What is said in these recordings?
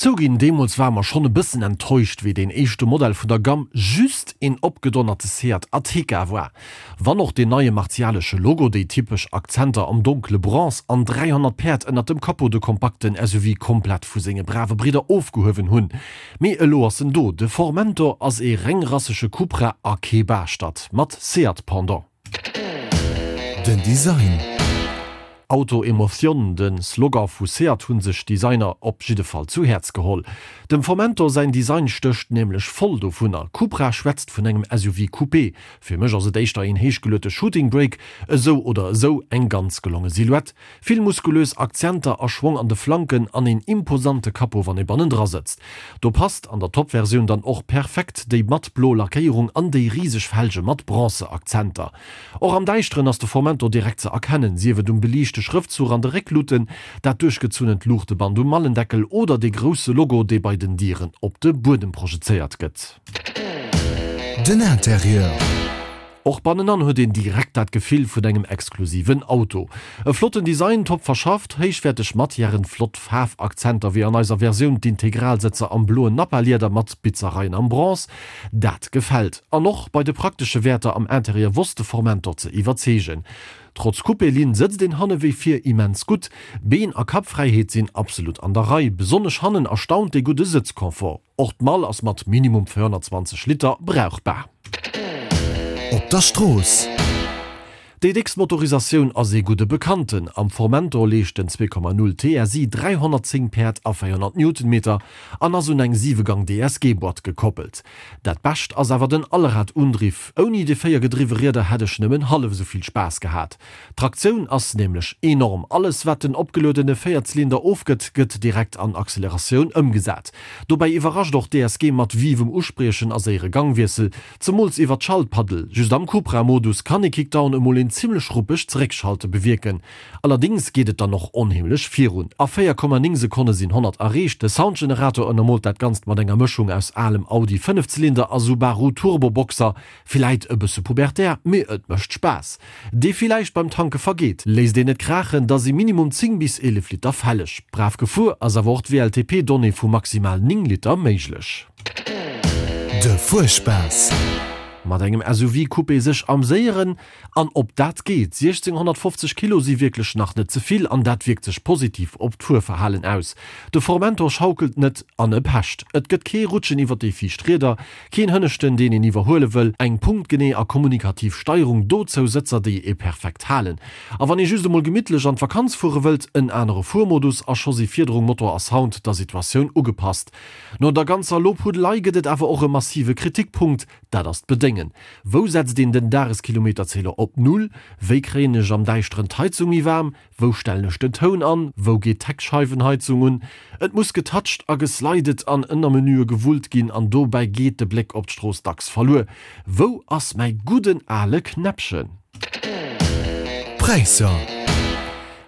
Zouginn, deemools ware mer schonn e bëssen enttäuscht, wéi deen éischte Modell vun der Gamm just een opgedonnerte Seat Ateca war. Wann och deen neie martialesche Logo, déi typesch Akzenter am donkle Bronze an 300 Päerd ënnert dem Capot de kompakten SUV komplett vu senge brave Bridder ofgehuewen hunn. Mee elo ass en do, de Formentor ass ee rengrassege Cupra a kee Baaschtert mat Seat-Pendant. Den Design. Auto Emotion, de Slogan vu Seat hu sech d'Designer op jidde Fall zu Häerz geholl. Dem Formentor säin Design stécht nämlech voll dovunner. Cupra schwätzt vun engem SUV Coupé, fir mech ass et éischter een héichgeluete Shooting Brake. Esou oder esou eng ganz gelonge Silhouette, Vill muskulös Akzenter a Schwong an de Flanken an een imposante Capot wann ee bannendra sëtzt. Do passt an der Top-Versioun dann och perfekt déi matt blo Lackéierung an déi riseg Felge mat Bronze-Akzenter. Och am Däischteren ass de Formentor direkt ze erkennen, sief et um beliichte Schrëftzuch an de Réckluuten, dat duerchgezunnent Luuchteband um Mallendeckel oder dee grousse Logo dee bei den Dieren op de Buedem projezéiert gëtt. Den Interieur. Och bannenan huet een direkt dat Gefill vun engem exklusiven Auto. E flotten Design, top verschafft, héichwäerteg Matièren, flott Faarfakzenter wéi an eiser Versioun d'Integralsëtzer am bloen Nappa-Lieder mat Bitzereien am Bronze, dat gefält. An och bei de praktesche Wäerter am Interieur wosst de Formentor ze iwwerzeegen. Trotz Coupé-Linn sëtzt een hanne wéi vir immens gutt, Been a Kappfräiheet sinn absolut an der Rei. Besonnesch hannen erstaunt dee gudde Sëtzconfort. Och d'Mall ass mat minimum 420 Liter brauchbar. Op der Strooss. Déi déckst Motorisatioun ass ee gudde Bekannten. Am Formentor leescht den 2,0 TSI 310 Päerd a 400 Newtonmeter an ass un eng 7-Gang DSG-Boîte gekoppelt. Dat Bescht ass awer den Allrad-Undriff. Ouni déi 4 gedriwwe Rieder hätt ech nëmmen hallef esou vill Spaass gehat. D'Traktioun ass nämlech enorm, alles wat den opgeluedene Véierzylinder ofgëtt, gëtt direkt an Acceleratioun ëmgesat. Dobäi iwwerrascht och d'DSG mat vivem Uspriechen a séiere Gangwiessel, zemools iwwer d'Schaltpaddel. Just am Cupra-Modus kann ee Kickdown emol een zimmlech ruppegt Zeréckschalte bewierken. Allerdéngs geet et dann och onheemlech virun, a 4,9 Sekonne sinn 100 erreecht. De Soundgenerator ënnermoolt dat Ganzt mat enger Mëschung aus alem Audi Fënnefzylinder a Subaru Turboboxer. Villäit e bësse pubertär, mee et mécht Spaass. Dee villäicht beim Tanke vergeet. Léisst een et kraachen, da si minimum 10 bis 11 Liter fälleg. Brav gefuer ass awer och d'WLTP-Donnée vu maximal 9 Liter méiglech. De Fuerspaass. Mat engem SUV-Coupé sech amséieren an ob dat geet? 1650 Kilo si wierklech nach net ze vill an dat wierkt sech positiv op d'Fuerverhalen aus. De Formentor schaukelt net an e pecht. Et gëtt kee Rutschen iwwer déi viischt Rieder, Keen Hënneschten, deen een iwwerhuele wëll, eng punktgenee a kommunikativ Steierung, dozou Sëtzer, déi ee perfekt halen. A wann ee just emol gemittlech an d'Vakanz fuere wëllt, en anere Fuermodus a scho si Fiederung, Motor a Sound der Situatioun ugepasst. No der ganzer Lobhudelei gëtt et awer och e massive Kritikpunkt, dat ass d'Bedéngen. Wou setzt een den Dageskilometerzähler op Null? Wéi kréien ech am Däischteren d'Heizung méi waarm? Wou stellen ech den Toun an? Wou geet d'Heckscheiwenheizung un? Et muss getoucht a geslidet an Ënnermenüe gewullt ginn an dobäi geet de Bléck op d'Strooss dacks verluer. Wou ass mäi gudden ale Knäppchen? Präisser.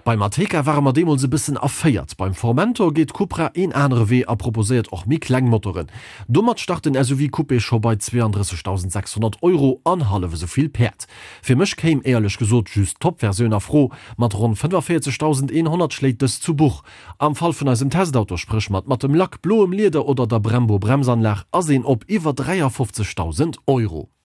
Beim Ateca ware mer deemools e bëssen erféiert. Beim Formentor geet Cupra een anere Wee a proposéiert och méi kleng Motoren. Domat start den SUV Coupé scho bei 32.600 Euro an hallef esou vill Päerd. Fir mech kéim éierlech gesot just d'Top-Versioun a Fro. Mat ronn 45.100 schléit dës zu Buch. Am Fall vun eisem Testauto, spréch mat mattem Lack, bloem Lieder oder der Brembo-Bremsanlag, ass een op iwwer 53.000 Euro.